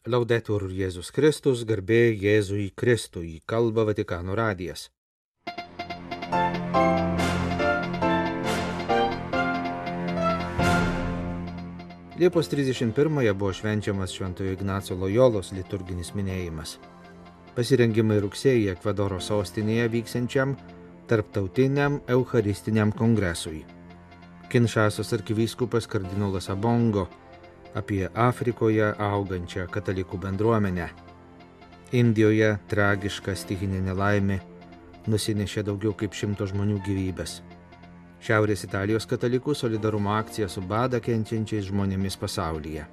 Laudetur Jėzus Kristus, garbė Jėzui Kristui, kalba Vatikano radijas. Liepos 31-ąją buvo švenčiamas Šventojo Ignaco Lojolos liturginis minėjimas. Pasirengimai rugsėjį Ekvadoro sostinėje vyksiančiam tarptautiniam eucharistiniam kongresui. Kinšasos arkivyskupas kardinolas Abongo apie Afrikoje augančią katalikų bendruomenę. Indijoje tragiška stichinė nelaimė nusinešė daugiau kaip 100 žmonių gyvybės. Šiaurės Italijos katalikų solidarumo akcija su badą kenčiančiais žmonėmis pasaulyje.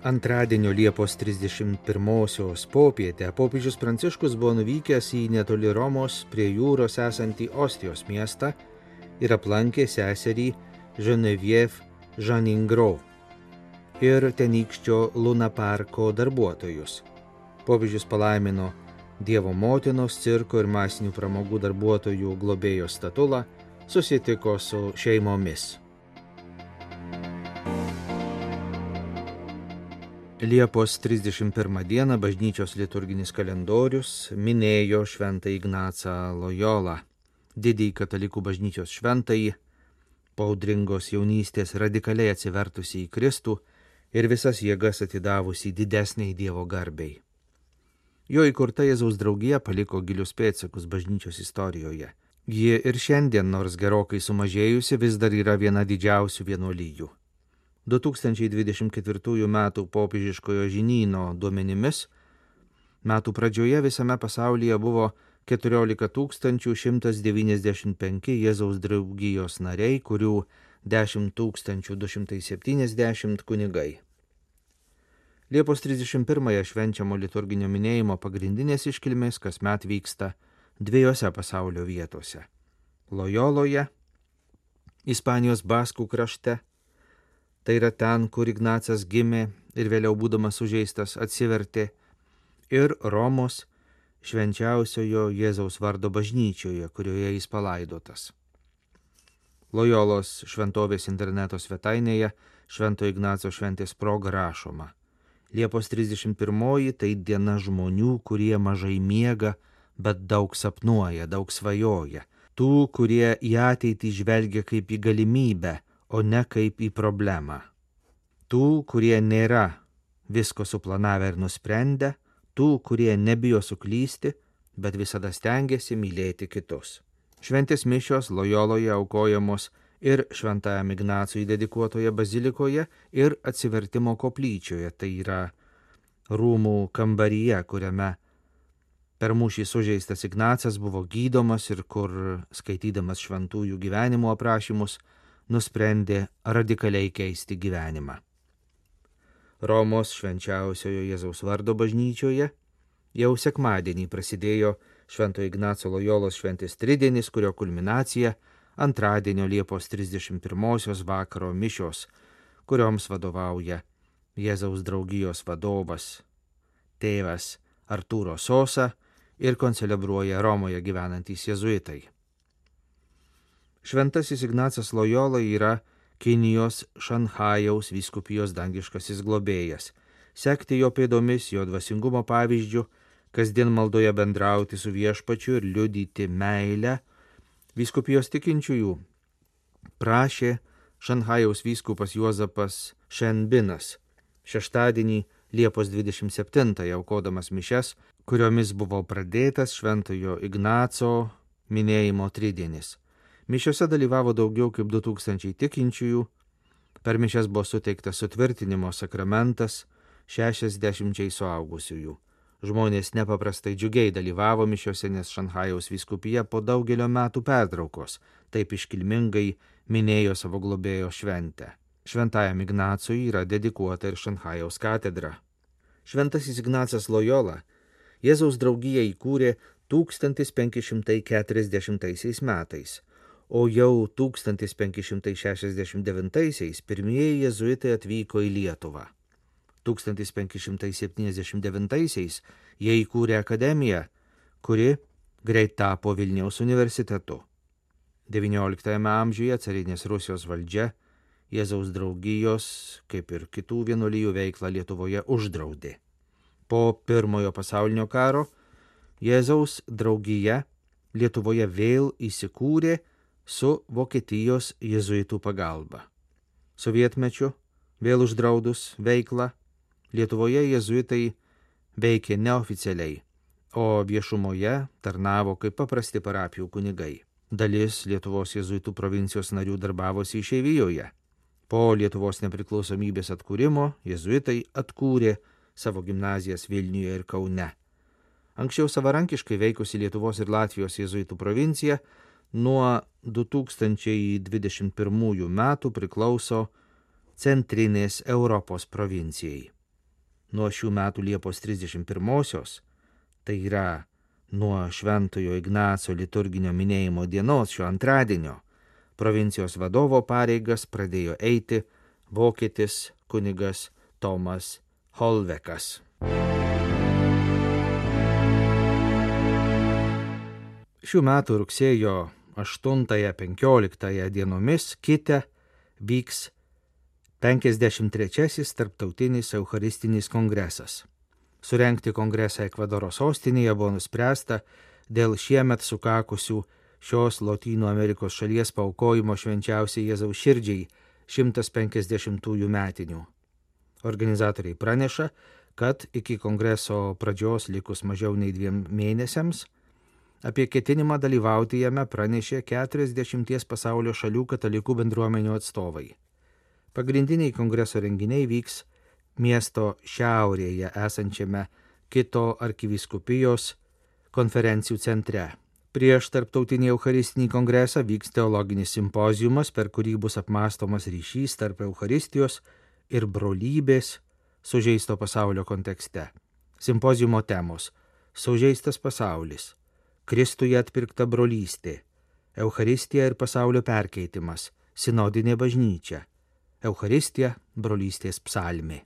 Antradienio Liepos 31-osios popietę popiežius Pranciškus buvo nuvykęs į netoli Romos prie jūros esantį Ostijos miestą ir aplankė seserį Genevieve Janingro ir tenykščio Luna parko darbuotojus. Popiežius palaimino Dievo motinos, cirko ir masinių pramogų darbuotojų globėjos statulą, susitiko su šeimomis. Liepos 31 dieną bažnyčios liturginis kalendorius minėjo Šventąjį Ignacą Lojolą, didįjį katalikų bažnyčios šventąjį, po audringos jaunystės radikaliai atsivertusi į Kristų ir visas jėgas atidavusi didesniai Dievo garbei. Jo įkurta Jėzaus draugija paliko gilius pėdsakus bažnyčios istorijoje. Ji ir šiandien, nors gerokai sumažėjusi, vis dar yra viena didžiausių vienuolijų. 2024 metų popiežiškojo žinyno duomenimis, metų pradžioje visame pasaulyje buvo 14 195 Jėzaus draugijos nariai, kurių 10 270 kunigai. Liepos 31-ąją švenčiamo liturginio minėjimo pagrindinės iškilmės kasmet vyksta dviejose pasaulio vietose – Lojoloje, Ispanijos Baskų krašte, tai yra ten, kur Ignacas gimė ir vėliau būdamas sužeistas atsivertė, ir Romos švenčiausiojo Jėzaus vardo bažnyčioje, kurioje jis palaidotas. Lojolos šventovės interneto svetainėje Švento Ignaco šventės proga rašoma: Liepos 31 tai diena žmonių, kurie mažai miega, bet daug sapnuoja, daug svajoja. Tų, kurie į ateitį žvelgia kaip į galimybę, o ne kaip į problemą. Tų, kurie nėra visko suplanavę ir nusprendę, tų, kurie nebijo suklysti, bet visada stengiasi mylėti kitus. Šventės mišios Lojoloje aukojamos ir Šventajam Ignacui dedikuotoje bazilikoje ir atsivertimo koplyčioje, tai yra rūmų kambaryje, kuriame per mūšį sužeistas Ignacas buvo gydomas ir kur, skaitydamas šventųjų gyvenimo aprašymus, nusprendė radikaliai keisti gyvenimą. Romos švenčiausiojo Jėzaus vardo bažnyčioje jau sekmadienį prasidėjo Švento Ignaco Lojolos šventės tridienis, kurio kulminacija antradienio Liepos 31 vakaro mišios, kurioms vadovauja Jėzaus draugijos vadovas tėvas Artūro Sosa ir koncelebruoja Romoje gyvenantys jėzuitai. Šventasis Ignacas Lojola yra Kinijos Šanchajaus vyskupijos dangiškasis globėjas. Sekti jo pėdomis, jo dvasingumo pavyzdžiu, kasdien maldoje bendrauti su viešpačiu ir liudyti meilę, vyskupijos tikinčiųjų prašė Šanchajaus vyskupas Juozapas Šenbinas šeštadienį Liepos 27 aukodamas mišias, kuriomis buvo pradėtas Šventojo Ignaco minėjimo tridienis. Mišiose dalyvavo daugiau kaip 2000 tikinčiųjų, per mišias buvo suteiktas sutvirtinimo sakramentas 60 suaugusiųjų. Žmonės nepaprastai džiugiai dalyvavo mišiose, nes Šanchajaus vyskupija po daugelio metų pertraukos taip iškilmingai minėjo savo globėjo šventę. Šventajam Ignacui yra dedikuota ir Šanchajaus katedra. Šventasis Ignacas Lojola Jėzaus draugiją įkūrė 1540 metais, o jau 1569 pirmieji jėzuitai atvyko į Lietuvą. 1579 jie įkūrė akademiją, kuri greit tapo Vilniaus universitetu. XIX amžiuje carinės Rusijos valdžia Jėzaus draugijos, kaip ir kitų vienuolijų veiklą Lietuvoje uždraudė. Po Pirmojo pasaulinio karo Jėzaus draugija Lietuvoje vėl įsikūrė su Vokietijos jėzuitų pagalba. Sovietmečiu, vėl uždraudus veiklą, Lietuvoje jėzuitai veikė neoficialiai, o viešumoje tarnavo kaip paprasti parapijų kunigai. Dalis Lietuvos jėzuitų provincijos narių darbavosi išeivijoje. Po Lietuvos nepriklausomybės atkūrimo jėzuitai atkūrė savo gimnazijas Vilniuje ir Kaune. Anksčiau savarankiškai veikusi Lietuvos ir Latvijos jėzuitų provincija nuo 2021 metų priklauso Centrinės Europos provincijai. Nuo šių metų Liepos 31-osios, tai yra nuo Šventojo Ignaco liturginio minėjimo dienos šio antradienio, provincijos vadovo pareigas pradėjo eiti vokietis kunigas Tomas Holvekas. Šių metų rugsėjo 8-15 dienomis Kite vyks 53-asis tarptautinis eucharistinis kongresas. Surengti kongresą Ekvadoro sostinėje buvo nuspręsta dėl šiemet sukakusių šios Lotynų Amerikos šalies paaukojimo švenčiausiai Jėzaus širdžiai 150-ųjų metinių. Organizatoriai praneša, kad iki kongreso pradžios likus mažiau nei 2 mėnesiams apie ketinimą dalyvauti jame pranešė 40 pasaulio šalių katalikų bendruomenių atstovai. Pagrindiniai kongreso renginiai vyks miesto šiaurėje esančiame Kito arkivyskupijos konferencijų centre. Prieš tarptautinį eucharistinį kongresą vyks teologinis simpoziumas, per kurį bus apmąstomas ryšys tarp Eucharistijos ir brolybės sužeisto pasaulio kontekste. Simpoziumo temos: sužeistas pasaulis, Kristuje atpirkta brolystė, Eucharistija ir pasaulio perkeitimas, sinodinė bažnyčia, Eucharistija, brolystės psalmė.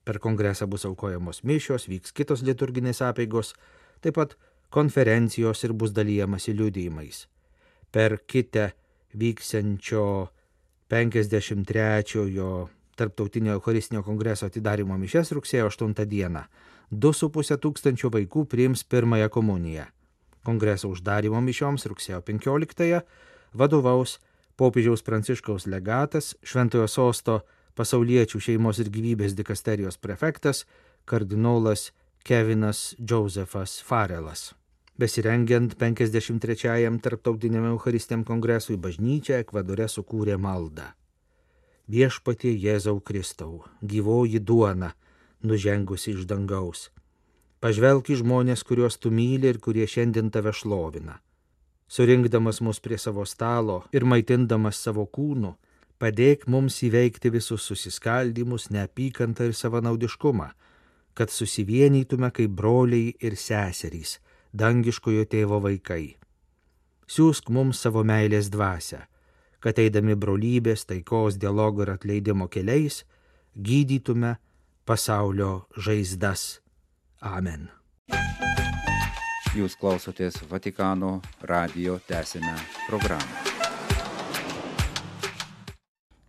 Per kongresą bus aukojamos mišios, vyks kitos liturginės apeigos, taip pat konferencijos ir bus dalijamasi liudijimais. Per Kite vyksiančio 53-ojo tarptautinio eucharistinio kongreso atidarymo mišias rugsėjo 8 dieną 2,5 tūkstančio vaikų priims pirmąją komuniją. Kongreso uždarymo mišioms rugsėjo 15-ąją vadovaus popiežiaus Pranciškaus legatas, Šventojo sosto pasauliečių šeimos ir gyvybės dikasterijos prefektas kardinolas Kevinas Džozefas Farelas. Besirengiant 53-ajam tarptautiniam eucharistiniam kongresui bažnyčia Ekvadore sukūrė maldą. Viešpatie Jėzau Kristau, gyvoji duona, nužengusi iš dangaus. Pažvelk į žmonės, kuriuos tu myli ir kurie šiandien tave šlovina. Surinkdamas mus prie savo stalo ir maitindamas savo kūnu, padėk mums įveikti visus susiskaldymus, neapykantą ir savanaudiškumą, kad susivienytume kaip broliai ir seserys, dangiškojo tėvo vaikai. Siųsk mums savo meilės dvasią, kad eidami brolybės, taikos, dialogo ir atleidimo keliais, gydytume pasaulio žaizdas. Amen. Jūs klausotės Vatikano radijo tęsiame programą.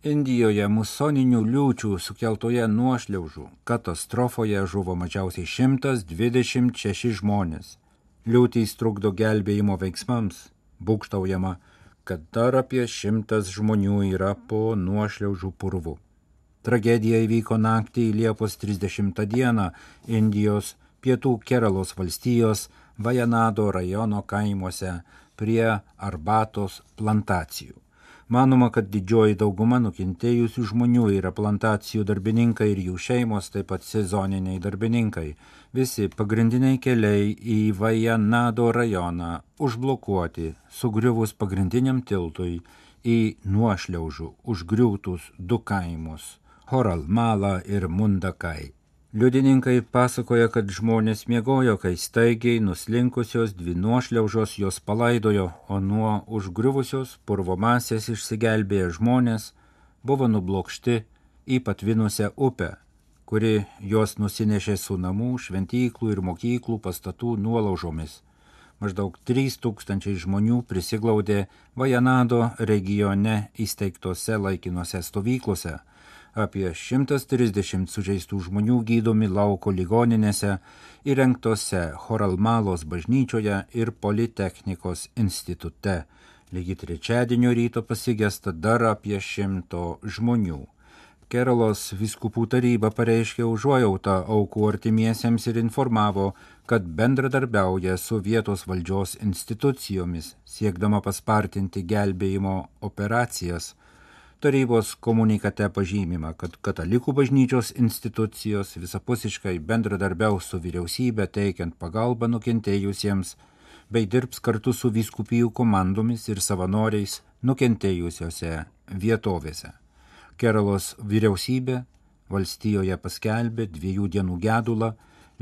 Indijoje musoninių liūčių sukeltoje nuošliaužų katastrofoje žuvo mažiausiai 126 žmonės. Liūtys trukdo gelbėjimo veiksmams. Būgštaujama, kad dar apie 100 žmonių yra po nuošliaužų purvų. Tragedija įvyko naktį Liepos 30 dieną Indijos pietų Keralos valstijos Vajanado rajono kaimuose prie arbatos plantacijų. Manoma, kad didžioji dauguma nukentėjusių žmonių yra plantacijų darbininkai ir jų šeimos, taip pat sezoniniai darbininkai. Visi pagrindiniai keliai į Vajanado rajoną užblokuoti, sugriuvus pagrindiniam tiltui į nuošliaužų užgriūtus 2 kaimus – Horalmala ir Mundakai. Liudininkai pasakoja, kad žmonės miegojo, kai staigiai nuslinkusios 2 nuošliaužos jos palaidojo, o nuo užgriuvusios purvo masės išsigelbėję žmonės buvo nublokšti į patvinusią upę, kuri juos nusinešė su namų, šventyklų ir mokyklų pastatų nuolaužomis. Maždaug 3000 žmonių prisiglaudė Vajanado regione įsteigtose laikinose stovyklose. Apie 130 sužeistų žmonių gydomi lauko ligoninėse, įrengtose Choralmalos bažnyčioje ir Politechnikos institute. Lygi trečiadienio ryto pasigesta dar apie 100 žmonių. Keralos vyskupų taryba pareiškė užuojautą aukų artimiesiems ir informavo, kad bendradarbiauja su vietos valdžios institucijomis, siekdama paspartinti gelbėjimo operacijas. Tarybos komunikate pažymima, kad katalikų bažnyčios institucijos visapusiškai bendradarbiaus su vyriausybė teikiant pagalbą nukentėjusiems, bei dirbs kartu su vyskupijų komandomis ir savanoriais nukentėjusiose vietovėse. Keralos vyriausybė valstijoje paskelbė 2 dienų gedulą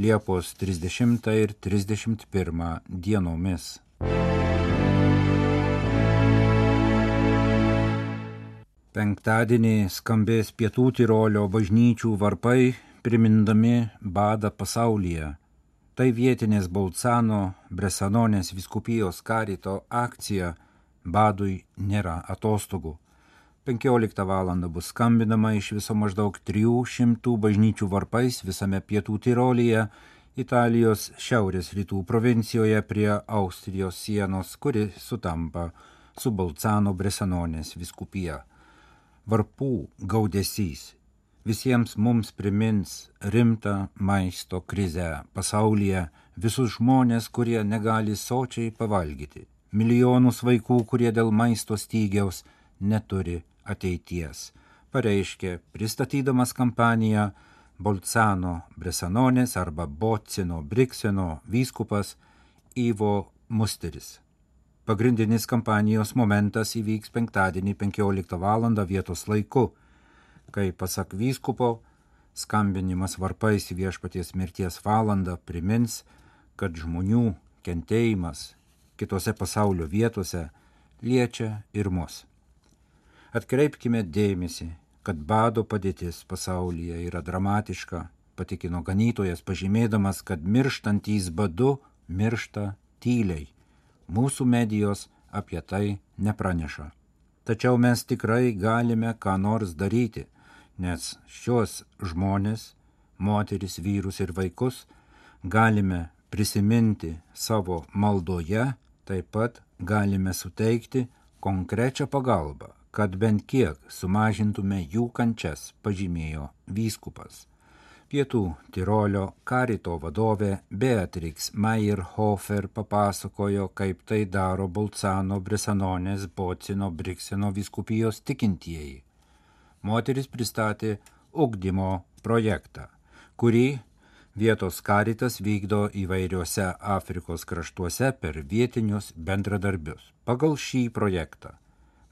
Liepos 30 ir 31 dienomis. Penktadienį skambės Pietų Tirolio bažnyčių varpai, primindami badą pasaulyje. Tai vietinės Bolcano Bresanonės vyskupijos karito akcija Badui nėra atostogų. 15 val. Bus skambinama iš viso maždaug 300 bažnyčių varpais visame Pietų Tirolyje, Italijos šiaurės rytų provincijoje prie Austrijos sienos, kuri sutampa su Bolcano Bresanonės vyskupija. Varpų gaudesys visiems mums primins rimtą maisto krizę pasaulyje, visus žmonės, kurie negali sočiai pavalgyti, milijonus vaikų, kurie dėl maisto stygiaus neturi ateities, pareiškė pristatydamas kampaniją Bolcano Bresanonės arba Bocino Brikseno vyskupas Ivo Musteris. Pagrindinis kampanijos momentas įvyks penktadienį 15 val. Vietos laiku, kai pasak vyskupo skambinimas varpais į Viešpaties mirties valandą primins, kad žmonių kentėjimas kitose pasaulio vietose liečia ir mus. Atkreipkime dėmesį, kad bado padėtis pasaulyje yra dramatiška, patikino ganytojas, pažymėdamas, kad mirštantys badu miršta tyliai. Mūsų medijos apie tai nepraneša. Tačiau mes tikrai galime ką nors daryti, nes šios žmonės, moteris, vyrus ir vaikus galime prisiminti savo maldoje, taip pat galime suteikti konkrečią pagalbą, kad bent kiek sumažintume jų kančias, pažymėjo vyskupas. Pietų Tirolio karito vadovė Beatrix Meyerhofer papasakojo, kaip tai daro Bolcano Bresanonės Bocino Brikseno vyskupijos tikintieji. Moteris pristatė ugdymo projektą, kurį vietos karitas vykdo įvairiuose Afrikos kraštuose per vietinius bendradarbius. Pagal šį projektą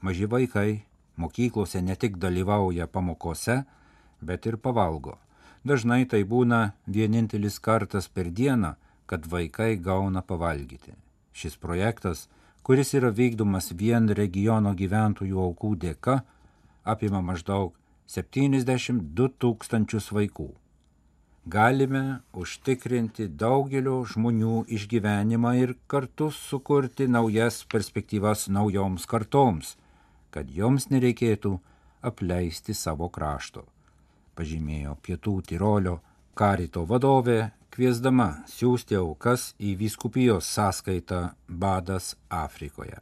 maži vaikai mokyklose ne tik dalyvauja pamokose, bet ir pavalgo. Dažnai tai būna vienintelis kartas per dieną, kad vaikai gauna pavalgyti. Šis projektas, kuris yra vykdomas vien regiono gyventojų aukų dėka, apima maždaug 72 000 vaikų. Galime užtikrinti daugelio žmonių išgyvenimą ir kartu sukurti naujas perspektyvas naujoms kartoms, kad joms nereikėtų apleisti savo krašto, pažymėjo Pietų Tirolio karito vadovė, kviesdama siųsti aukas į vyskupijos sąskaitą Badas Afrikoje.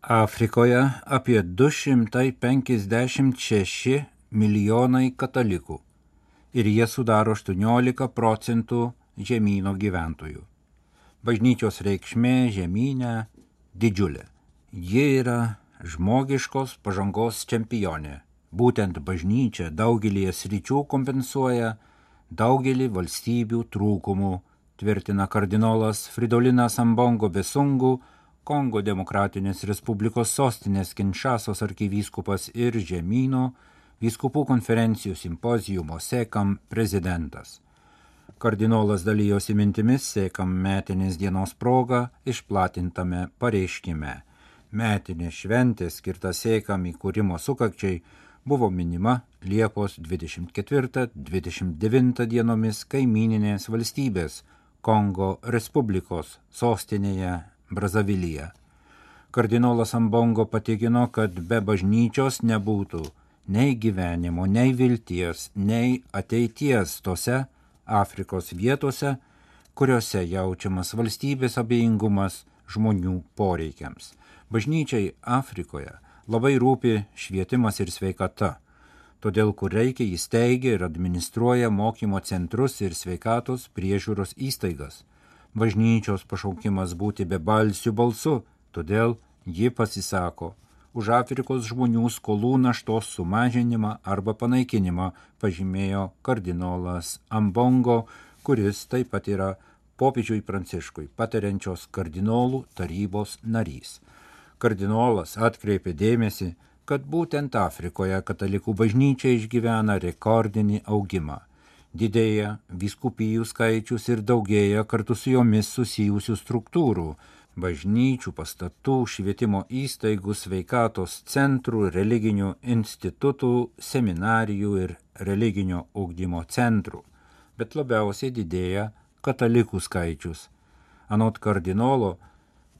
Afrikoje apie 256 milijonai katalikų ir jie sudaro 18% žemyno gyventojų. Bažnyčios reikšmė žemyne didžiulė. Ji yra žmogiškos pažangos čempionė. Būtent bažnyčia daugelį sričių kompensuoja daugelį valstybių trūkumų, tvirtina kardinolas Fridolinas Ambongo Besungu, Kongo Demokratinės Respublikos sostinės Kinšasos arkivyskupas ir žemyno vyskupų konferencijų simpozijumo SEKAM prezidentas. Kardinolas dalijosi mintimis SEKAM metinės dienos proga išplatintame pareiškime. Metinė šventė skirta SEKAM įkūrimo sukakčiai buvo minima Liepos 24-29 dienomis kaimyninės valstybės Kongo Respublikos sostinėje Brazavilyje. Kardinolas Ambongo patikino, kad be bažnyčios nebūtų nei gyvenimo, nei vilties, nei ateities tose Afrikos vietose, kuriuose jaučiamas valstybės abejingumas žmonių poreikiams. Bažnyčiai Afrikoje labai rūpi švietimas ir sveikata, todėl kur reikia įsteigia ir administruoja mokymo centrus ir sveikatos priežiūros įstaigas. Bažnyčios pašaukimas būti bebalsiu balsu, todėl ji pasisako už Afrikos žmonių skolų naštos sumažinimą arba panaikinimą, pažymėjo kardinolas Ambongo, kuris taip pat yra popiežiui Pranciškui patariančios kardinolų tarybos narys. Kardinolas atkreipė dėmesį, kad būtent Afrikoje katalikų bažnyčia išgyvena rekordinį augimą. Didėja vyskupijų skaičius ir daugėja kartu su jomis susijusių struktūrų, bažnyčių, pastatų, švietimo įstaigų, sveikatos centrų, religinių institutų, seminarijų ir religinio ugdymo centrų. Bet labiausiai didėja katalikų skaičius. Anot kardinolo,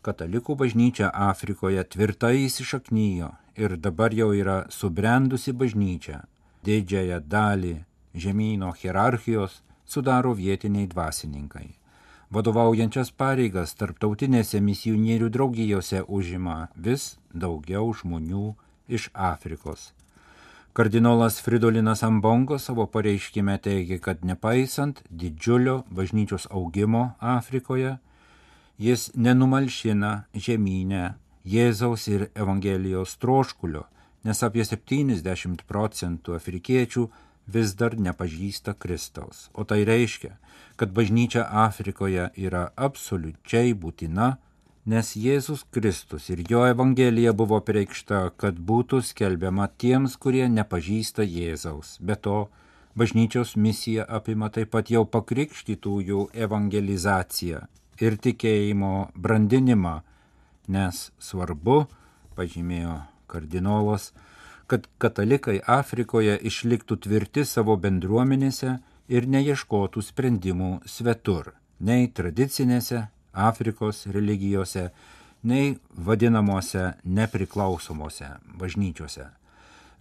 katalikų bažnyčia Afrikoje tvirtai įsišaknijo ir dabar jau yra subrendusi bažnyčia. Didžiąją dalį žemyno hierarchijos sudaro vietiniai dvasininkai. Vadovaujančias pareigas tarptautinėse misionierių draugijose užima vis daugiau žmonių iš Afrikos. Kardinolas Fridolinas Ambongo savo pareiškime teigia, kad nepaisant didžiulio bažnyčios augimo Afrikoje, jis nenumalšina žemynę Jėzaus ir Evangelijos troškulio, nes apie 70% afrikiečių vis dar nepažįsta Kristaus. O tai reiškia, kad bažnyčia Afrikoje yra absoliučiai būtina, nes Jėzus Kristus ir jo Evangelija buvo preikšta, kad būtų skelbiama tiems, kurie nepažįsta Jėzaus. Be to, bažnyčios misija apima taip pat jau pakrikštytųjų evangelizaciją ir tikėjimo brandinimą, nes svarbu, pažymėjo kardinolas, kad katalikai Afrikoje išliktų tvirti savo bendruomenėse ir neieškotų sprendimų svetur, nei tradicinėse Afrikos religijose, nei vadinamuose nepriklausomose bažnyčiose.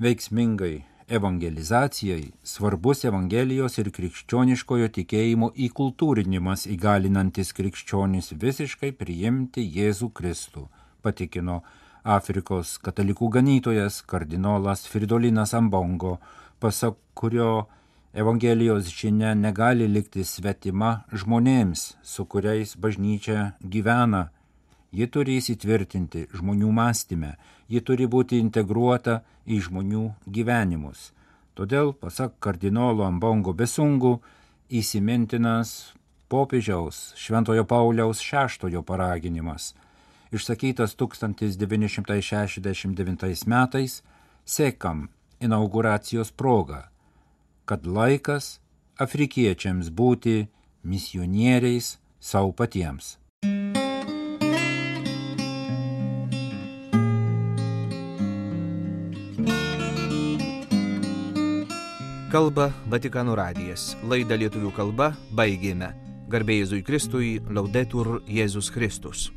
Veiksmingai evangelizacijai svarbus Evangelijos ir krikščioniškojo tikėjimo įkultūrinimas įgalinantis krikščionis visiškai priimti Jėzų Kristų, patikino Afrikos katalikų ganytojas kardinolas Fridolinas Ambongo, pasak kurio Evangelijos žinia negali likti svetima žmonėms, su kuriais bažnyčia gyvena. Ji turi įsitvirtinti žmonių mąstyme, ji turi būti integruota į žmonių gyvenimus. Todėl, pasak kardinolo Ambongo Besungų, įsimintinas popiežiaus Šventojo Pauliaus VI paraginimas, išsakytas 1969 metais, sekam inauguracijos proga, kad laikas afrikiečiams būti misionieriais savo patiems. Kalba Vatikano radijas. Laidą lietuvių kalba baigėme. Garbė Jėzui Kristui, Laudetur Jėzus Kristus.